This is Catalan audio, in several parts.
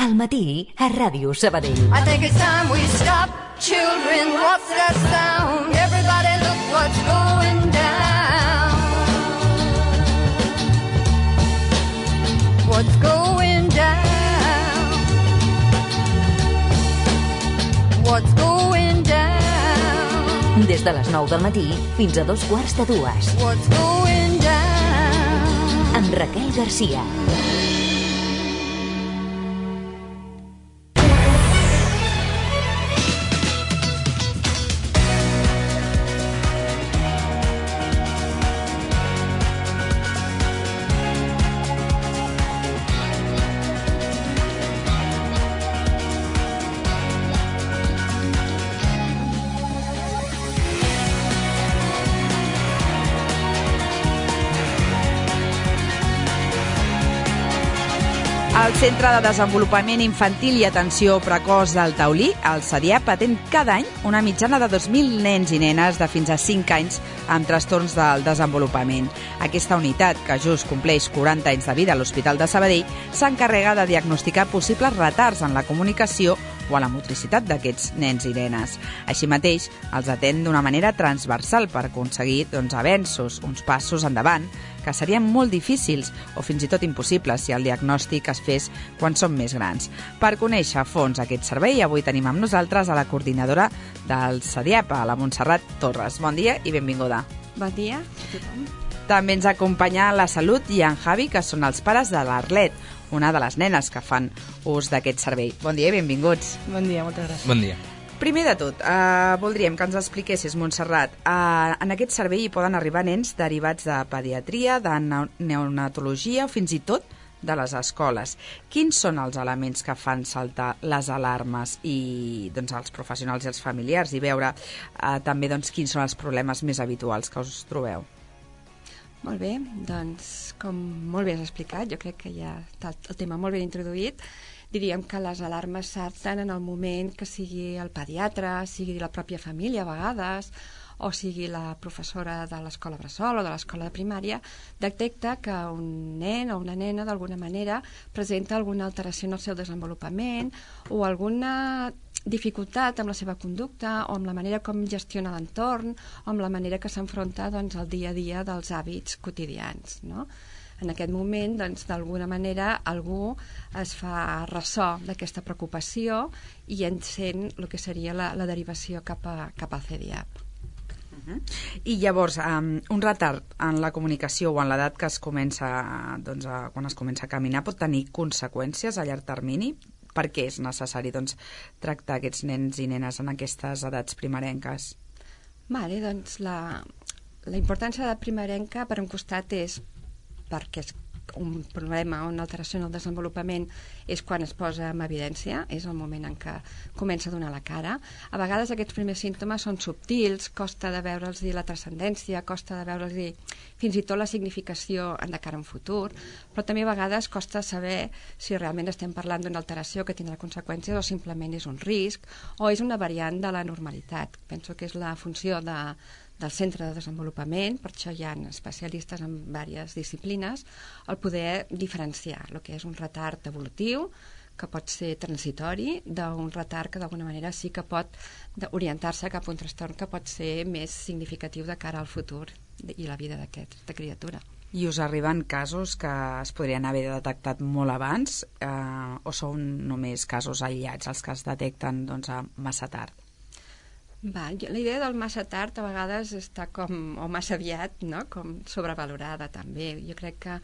Al matí, a Ràdio Sabadell. I think it's time we stop. Children, what's that sound? Everybody look what's going down. What's going down? What's going down? Des de les 9 del matí fins a 2:15. What's going down? Amb Raquel Garcia. El Centre de Desenvolupament Infantil i Atenció Precoç del Taulí, el CEDIAP, atén cada any una mitjana de 2.000 nens i nenes de fins a 5 anys amb trastorns del desenvolupament. Aquesta unitat, que just compleix 40 anys de vida a l'Hospital de Sabadell, s'encarrega de diagnosticar possibles retards en la comunicació o a la motricitat d'aquests nens i nenes. Així mateix, els atén d'una manera transversal per aconseguir avenços, uns passos endavant, que serien molt difícils o fins i tot impossibles si el diagnòstic es fes quan són més grans. Per conèixer a fons aquest servei, avui tenim amb nosaltres a la coordinadora del CEDIAP, a la Montserrat Torres. Bon dia i benvinguda. Bon dia a tothom. També ens acompanya la Salut i en Javi, que són els pares de l'Arlet, una de les nenes que fan ús d'aquest servei. Bon dia i benvinguts. Bon dia, moltes gràcies. Bon dia. Primer de tot, voldríem que ens expliquessis, Montserrat, en aquest servei hi poden arribar nens derivats de pediatria, de neonatologia o fins i tot de les escoles. Quins són els elements que fan saltar les alarmes i els professionals i els familiars i veure també quins són els problemes més habituals que us trobeu? Molt bé, doncs, com molt bé has explicat, jo crec que ja està el tema molt ben introduït. Diríem que les alarmes salten en el moment que sigui el pediatre, sigui la pròpia família a vegades, o sigui la professora de l'escola bressol o de l'escola de primària, detecta que un nen o una nena d'alguna manera presenta alguna alteració en el seu desenvolupament o alguna dificultat amb la seva conducta o amb la manera com gestiona l'entorn o amb la manera que s'enfronta al dia a dia dels hàbits quotidians, no? En aquest moment, d'alguna manera, algú es fa ressò d'aquesta preocupació i encén el que seria la derivació cap al CEDIAP. I llavors, un retard en la comunicació o en l'edat que es comença, quan es comença a caminar, pot tenir conseqüències a llarg termini? Per què és necessari tractar aquests nens i nenes en aquestes edats primerenques? Vale, doncs la importància de l'edat primerenca, per un costat, és perquè és un problema o una alteració en el desenvolupament és quan es posa en evidència, és el moment en què comença a donar la cara. A vegades aquests primers símptomes són subtils, costa de veure'ls la transcendència, costa de veure'ls fins i tot la significació de cara a un futur, però també a vegades costa saber si realment estem parlant d'una alteració que tindrà conseqüències o simplement és un risc o és una variant de la normalitat. Penso que és la funció del centre de desenvolupament, per això hi ha especialistes en diverses disciplines, el poder diferenciar el que és un retard evolutiu, que pot ser transitori, d'un retard que d'alguna manera sí que pot orientar-se cap a un trastorn que pot ser més significatiu de cara al futur i la vida d'aquesta criatura. I us arriben casos que es podrien haver detectat molt abans o són només casos aïllats els que es detecten massa tard? La idea del massa tard a vegades està o massa aviat, no? Com sobrevalorada també. Jo crec que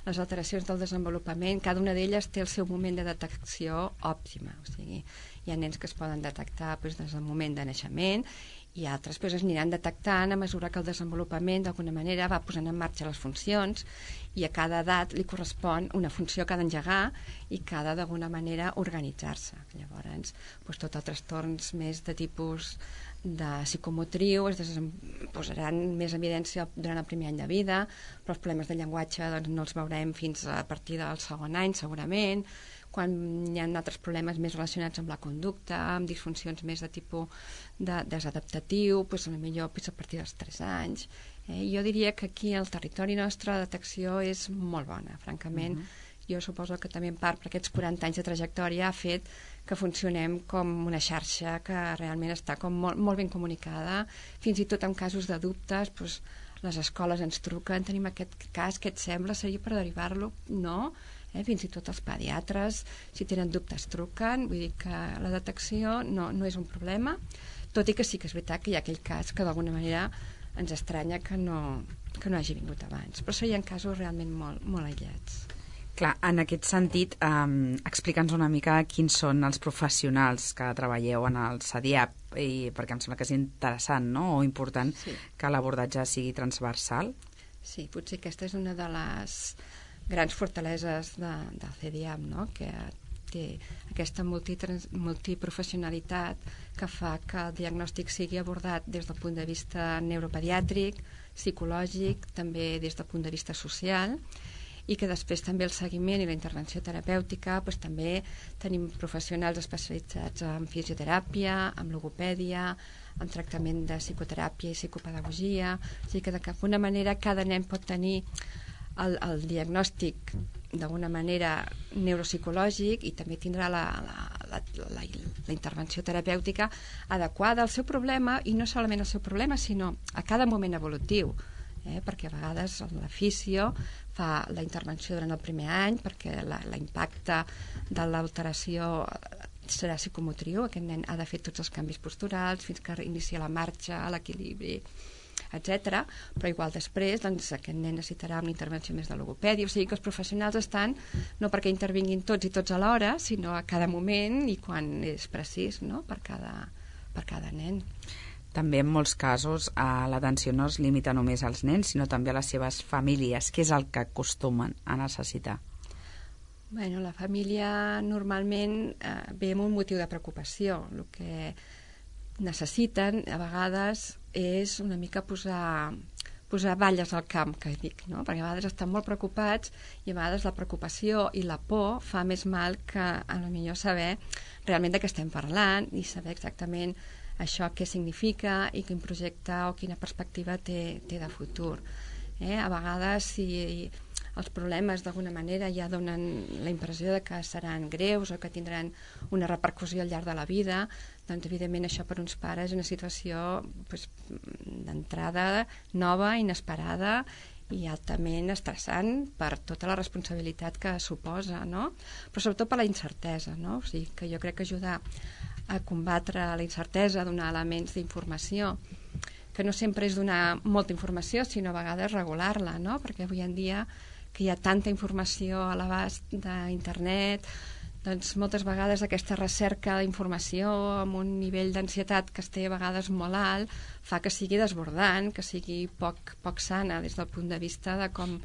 les alteracions del desenvolupament, cada una d'elles té el seu moment de detecció òptima. O sigui, hi ha nens que es poden detectar des del moment de naixement i altres es aniran detectant a mesura que el desenvolupament d'alguna manera va posant en marxa les funcions i a cada edat li correspon una funció que ha d'engegar i que ha d'alguna manera organitzar-se. Llavors, tots els trastorns més de tipus de psicomotriu es posaran més en evidència durant el primer any de vida, però els problemes de llenguatge no els veurem fins a partir del segon any segurament. Quan hi ha altres problemes més relacionats amb la conducta, amb disfuncions més de tipus desadaptatiu, potser a partir dels 3 anys. Jo diria que aquí al territori nostre la detecció és molt bona, francament. jo suposo que també en part per aquests 40 anys de trajectòria ha fet que funcionem com una xarxa que realment està com molt ben comunicada, fins i tot en casos de dubtes, doncs, les escoles ens truquen, tenim aquest cas, què et sembla, seria per derivar-lo? No, fins i tot els pediatres, si tenen dubtes, truquen, vull dir que la detecció no és un problema, tot i que sí que és veritat que hi ha aquell cas que d'alguna manera ens estranya que no hagi vingut abans, però serien casos realment molt aïllats. Clar, en aquest sentit, explica'ns una mica quins són els professionals que treballeu en el CEDIAP, perquè em sembla que és interessant, no?, o important, sí, que l'abordatge sigui transversal. Sí, potser aquesta és una de les grans fortaleses del CEDIAP, no?, que té aquesta multiprofessionalitat que fa que el diagnòstic sigui abordat des del punt de vista neuropediàtric, psicològic, també des del punt de vista social, i que després també el seguiment i la intervenció terapèutica, doncs també tenim professionals especialitzats en fisioteràpia, en logopèdia, en tractament de psicoteràpia i psicopedagogia, o sigui que d'alguna manera cada nen pot tenir el diagnòstic d'alguna manera neuropsicològic i també tindrà la intervenció terapèutica adequada al seu problema, i no solament al seu problema, sinó a cada moment evolutiu, perquè a vegades la fisio fa la intervenció durant el primer any perquè l'impacte de l'alteració serà psicomotriu, aquest nen ha de fer tots els canvis posturals fins que inicia la marxa, l'equilibri, etc. Però igual després doncs, aquest nen necessitarà una intervenció més de logopèdia, o sigui que els professionals estan no perquè intervinguin tots i tots alhora, sinó a cada moment i quan és precís, no?, per cada nen. També en molts casos l'atenció no es limita només als nens, sinó també a les seves famílies. Què és el que acostumen a necessitar? Bueno, la família normalment ve amb un motiu de preocupació. El que necessiten a vegades és una mica posar balles al camp, que dic, no? Perquè a vegades estan molt preocupats i a vegades la preocupació i la por fa més mal que a lo millor saber realment de què estem parlant i saber exactament això què significa i quin projecte o quina perspectiva té de futur. A vegades, si els problemes d'alguna manera ja donen la impressió de que seran greus o que tindran una repercussió al llarg de la vida, doncs evidentment això per uns pares és una situació d'entrada nova, inesperada i altament estressant per tota la responsabilitat que suposa, no? Però sobretot per la incertesa, no? O sigui que jo crec que ajudar a combatre la incertesa, donar elements d'informació, que no sempre és donar molta informació, sinó a vegades regular-la, no? Perquè avui en dia que hi ha tanta informació a l'abast d'internet, doncs moltes vegades aquesta recerca d'informació amb un nivell d'ansietat que es té a vegades molt alt fa que sigui desbordant, que sigui poc sana des del punt de vista de com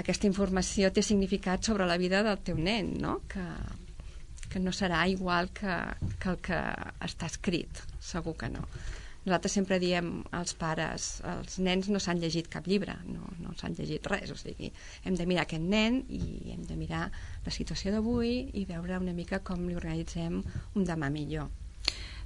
aquesta informació té significat sobre la vida del teu nen, no? Que no serà igual que el que està escrit, segur que no. Nosaltres sempre diem als pares, els nens no s'han llegit cap llibre, no s'han llegit res, o sigui, hem de mirar aquest nen i hem de mirar la situació d'avui i veure una mica com li organitzem un demà millor.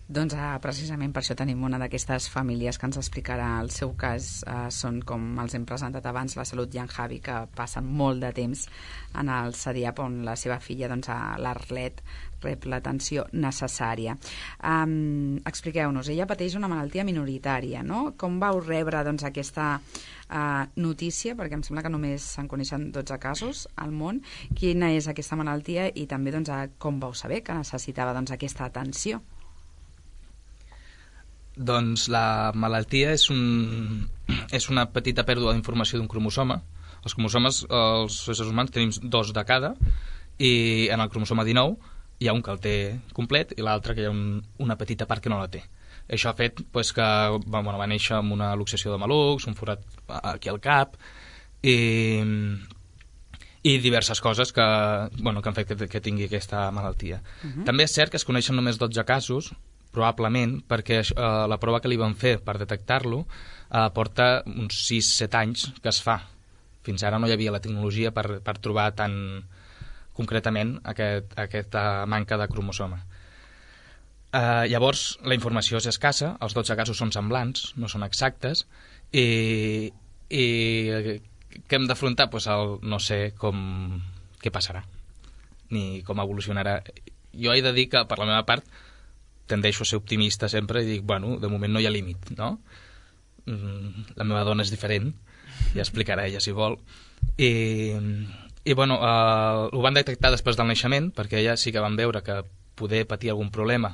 Doncs precisament per això tenim una d'aquestes famílies que ens explicarà el seu cas. Són, com els hem presentat abans, la Salut i en Javi, que passen molt de temps en el CEDIAP, on la seva filla, doncs, l'Arlet, rep l'atenció necessària. Expliqueu-nos, ella pateix una malaltia minoritària, no? Com vau rebre doncs, aquesta notícia, perquè em sembla que només se'n coneixen 12 casos al món? Quina és aquesta malaltia i també doncs, com vau saber que necessitava doncs, aquesta atenció? Doncs la malaltia és una petita pèrdua d'informació d'un cromosoma. Els cromosomes, els éssers humans, tenim 2 de cada, i en el cromosoma 19 hi ha un que el té complet i l'altre que hi ha una petita part que no la té. Això ha fet que va néixer amb una luxació de malucs, un forat aquí al cap i diverses coses que han fet que tingui aquesta malaltia. També és cert que es coneixen només 12 casos, probablement perquè la prova que li van fer per detectar-lo porta uns 6-7 anys que es fa. Fins ara no hi havia la tecnologia per trobar tan concretament aquesta manca de cromosoma. Llavors, la informació és escassa, els 12 casos són semblants, no són exactes, i què hem d'afrontar? No sé què passarà, ni com evolucionarà. Jo he de dir que, per la meva part, tendeixo a ser optimista sempre i dic, bueno, de moment no hi ha límit, no? La meva dona és diferent, ja explicarà ella si vol. I bueno, ho van detectar després del naixement, perquè ella sí que van veure que poder patir algun problema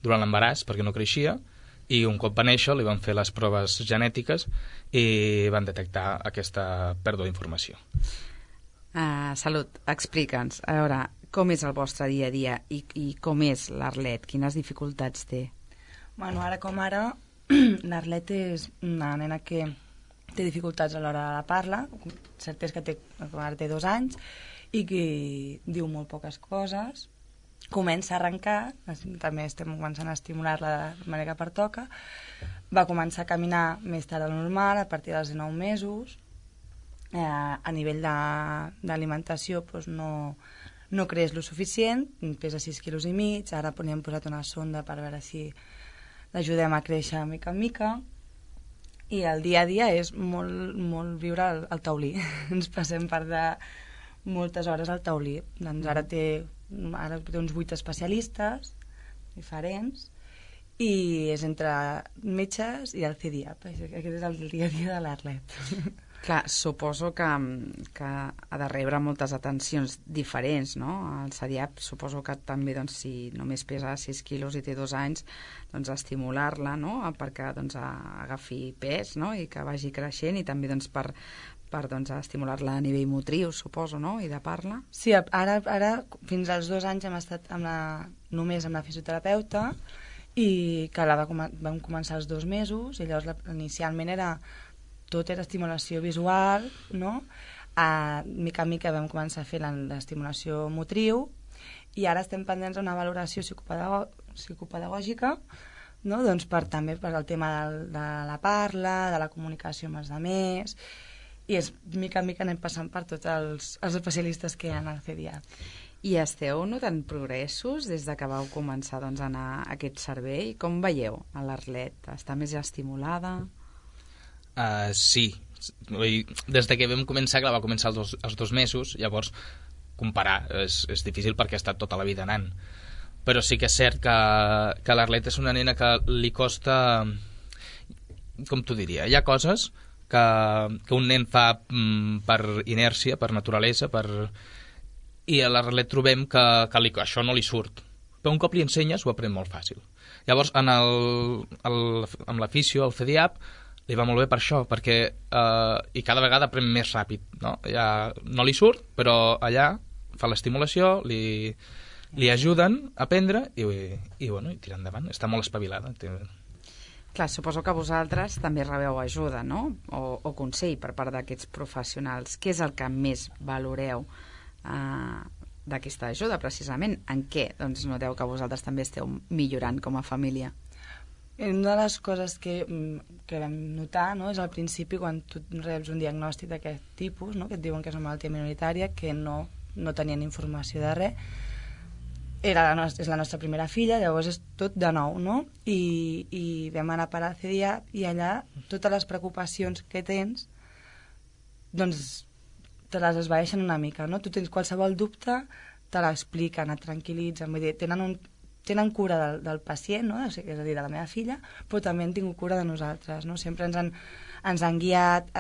durant l'embaràs, perquè no creixia, i un cop va néixer li van fer les proves genètiques i van detectar aquesta pèrdua d'informació. Salut, explica'ns, a veure, com és el vostre dia a dia i com és l'Arlet? Quines dificultats té? Bueno, ara com ara, l'Arlet és una nena que té dificultats a l'hora de la parla, cert és que ara té 2 anys, i que diu molt poques coses, comença a arrencar, també estem començant a estimular-la de manera que pertoca, va començar a caminar més tard del normal, a partir dels 19 mesos, a nivell d'alimentació doncs no creix lo suficient, pesa 6,5 quilos, ara hem posat una sonda per veure si l'ajudem a créixer mica en mica, i el dia a dia és molt viure al taulí. Ens passem part de moltes hores al taulí. Doncs ara té uns 8 especialistes diferents i és entre metges i el CDIAP. Aquest és el dia a dia de l'Arlet. Clar, suposo que ha de rebre moltes atencions diferents, no? El CDIAP suposo que també, doncs, si només pesa 6 quilos i té 2 anys, doncs estimular-la, no?, perquè doncs, agafi pes, no?, i que vagi creixent, i també doncs, per estimular-la a nivell motriu, suposo, no?, i de parla. Sí, ara fins als 2 anys hem estat només amb la fisioterapeuta, i que vam començar als 2 mesos, i llavors inicialment tot era estimulació visual, no? Mica en mica vam començar a fer l'estimulació motriu, i ara estem pendents d'una valoració psicopedagògica, no? Doncs també per al tema de la parla, de la comunicació amb els altres, i mica en mica anem passant per tots els especialistes que hi ha al CDIAP. I esteu notant progressos des de que vau començar doncs, a anar a aquest servei? Com veieu a l'Arlet? Està més estimulada? Sí. Des de que vam començar, que va començar als 2 mesos, llavors comparar és difícil perquè ha estat tota la vida anant. Però sí que és cert que l'Arlet és una nena que li costa, com t'ho diria, hi ha coses que un nen fa per inèrcia, per naturalesa, i a l'Arlet trobem que això no li surt. Però un cop li ensenyes ho aprèn molt fàcil. Llavors, amb la fisio, el CDIAP, li va molt bé per això, perquè i cada vegada aprèn més ràpid, no? Ja no li surt, però allà fa l'estimulació, li ajuden a aprendre i tira endavant, està molt espavilada. Clar, suposo que vosaltres també rebeu ajuda, no? O consell per part d'aquests professionals. Què és el que més valoreu d'aquesta ajuda, precisament? En què doncs, noteu que vosaltres també esteu millorant com a família? Una de les coses que vam notar, no, és al principi quan tu reps un diagnòstic d'aquest tipus, no, que et diuen que és una malaltia minoritària, que no tenien informació de res, és la nostra primera filla, llavors és tot de nou, no? I vam anar a parar a CDIAP i allà totes les preocupacions que tens doncs te les esvaeixen una mica, no? Tu tens qualsevol dubte, te l'expliquen, et tranquil·litzen, vull dir, tenen cura del pacient, no? És a dir, de la meva filla, però també han tingut cura de nosaltres, no? Sempre ens han guiat,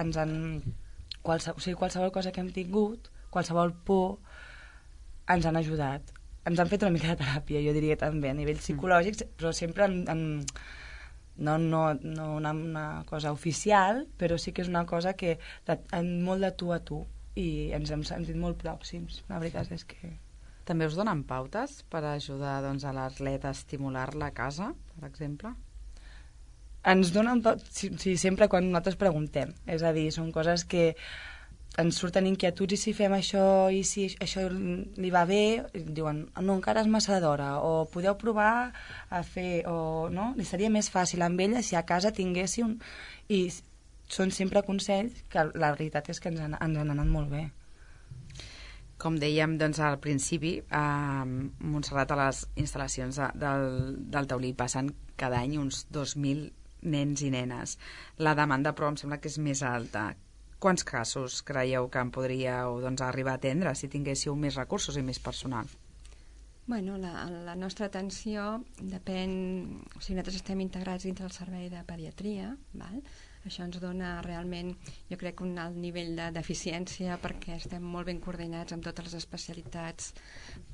qualsevol cosa que hem tingut, qualsevol por, ens han ajudat. Ens han fet una mica de teràpia, jo diria també, a nivell psicològic, però sempre no una cosa oficial, però sí que és una cosa que molt de tu a tu, i ens hem sentit molt pròxims. La veritat és que... També us donen pautes per ajudar doncs, a l'Arlet a estimular-la a casa, per exemple? Ens donen pautes, sí, sempre quan nosaltres preguntem. És a dir, són coses que ens surten inquietuds, i si fem això, i si això li va bé, diuen, no, encara és massa d'hora, o podeu provar a fer, o no, li seria més fàcil amb ella si a casa tinguéssim... I són sempre consells que la veritat és que ens han anat molt bé. Com dèiem doncs, al principi, a Montserrat, a les instal·lacions del Taulí passen cada any uns 2.000 nens i nenes. La demanda, però, em sembla que és més alta. Quants casos creieu que en podríeu arribar a atendre si tinguéssiu més recursos i més personal? Bueno, la nostra atenció depèn... O sigui, nosaltres estem integrats dintre el servei de pediatria, val? Això ens dona realment, jo crec, un alt nivell d'eficiència perquè estem molt ben coordinats amb totes les especialitats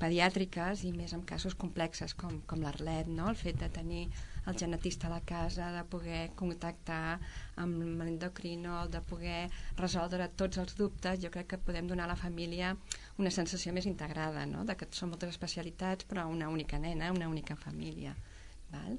pediàtriques i més en casos complexes com l'Arlet, no? El fet de tenir el genetista a la casa, de poder contactar amb l'endocrinol, de poder resoldre tots els dubtes, jo crec que podem donar a la família una sensació més integrada, no? De que són moltes especialitats però una única nena, una única família, val?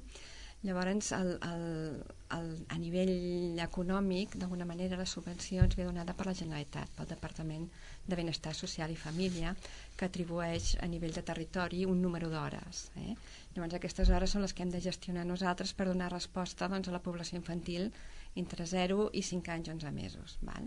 Llavors, a nivell econòmic, d'alguna manera, la subvenció ens ve donada per la Generalitat, pel Departament de Benestar Social i Família, que atribueix a nivell de territori un número d'hores. Llavors, aquestes hores són les que hem de gestionar nosaltres per donar resposta a la població infantil entre 0 i 5 anys, 11 mesos. Val?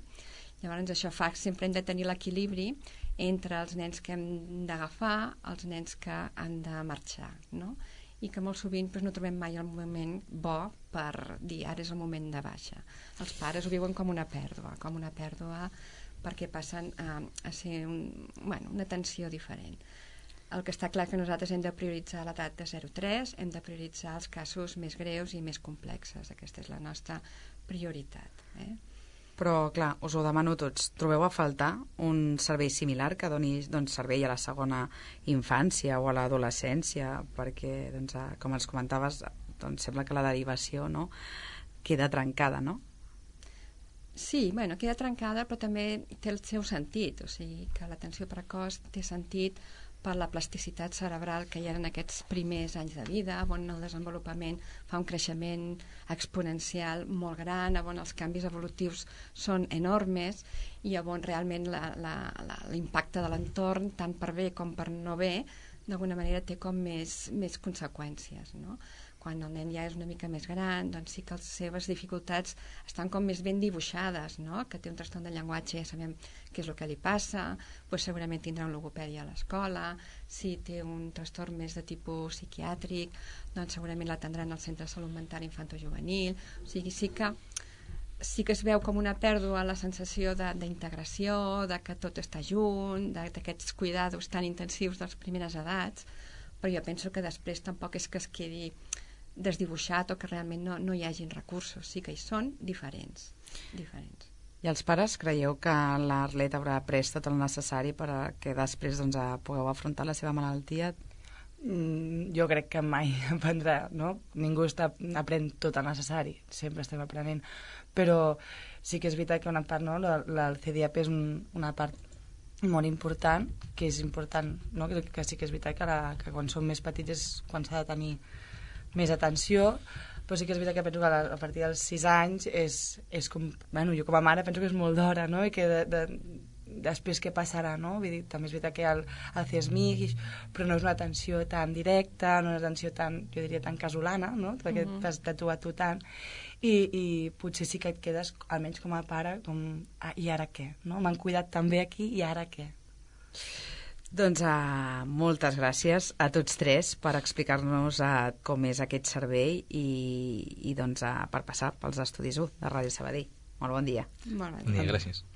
Llavors, això fa que sempre hem de tenir l'equilibri entre els nens que hem d'agafar, els nens que han de marxar, no? I que molt sovint no trobem mai el moment bo per dir ara és el moment de baixa. Els pares ho viuen com una pèrdua perquè passen a ser una atenció diferent. El que està clar que nosaltres hem de prioritzar l'edat de 0-3, hem de prioritzar els casos més greus i més complexes. Aquesta és la nostra prioritat. Però, clar, us ho demano tots. Trobeu a faltar un servei similar que doni servei a la segona infància o a l'adolescència? Perquè, com els comentaves, sembla que la derivació queda trencada, no? Sí, queda trencada, però també té el seu sentit. O sigui, que l'atenció precoç té sentit per la plasticitat cerebral que hi ha en aquests primers anys de vida, on el desenvolupament fa un creixement exponencial molt gran, on els canvis evolutius són enormes i on realment l'impacte de l'entorn, tant per bé com per no bé, d'alguna manera té com més conseqüències, no? Quan el nen ja és una mica més gran, doncs sí que les seves dificultats estan com més ben dibuixades, no? Que té un trastorn de llenguatge, ja sabem què és el que li passa, doncs segurament tindrà un logopèdia a l'escola, si té un trastorn més de tipus psiquiàtric, doncs segurament l'atendran al centre de salut mental infantojuvenil, o sigui, sí que es veu com una pèrdua la sensació d'integració, de que tot està junt, d'aquests cuidados tan intensius de les primeres edats, però jo penso que després tampoc és que es quedi desdibuixat o que realment no hi hagin recursos, sí que hi són diferents. I els pares creieu que l'Arlet haurà pres tot el necessari perquè després pugueu afrontar la seva malaltia? Jo crec que mai aprendrà, no? Ningú aprèn tot el necessari, sempre estem aprenent, però sí que és veritat que una part, no? El CDAP és una part molt important, que és important, no? Que sí que és veritat que quan som més petits és quan s'ha de tenir més atenció, però sí que és veritat que penso que a partir dels 6 anys és com, jo com a mare penso que és molt d'hora, no? I que després què passarà, no? Vull dir, també és veritat que hi ha el CESMIC, però no és una atenció tan directa, no és una atenció tan, jo diria, tan casolana, no? Perquè t'has de tu a tu tant, i potser sí que et quedes, almenys com a pare, com, i ara què? No? M'han cuidat tan bé aquí, i ara què? Doncs moltes gràcies a tots tres per explicar-nos com és aquest servei i per passar pels estudis 1 de Ràdio Sabadell. Molt bon dia. Molt bon dia. Gràcies.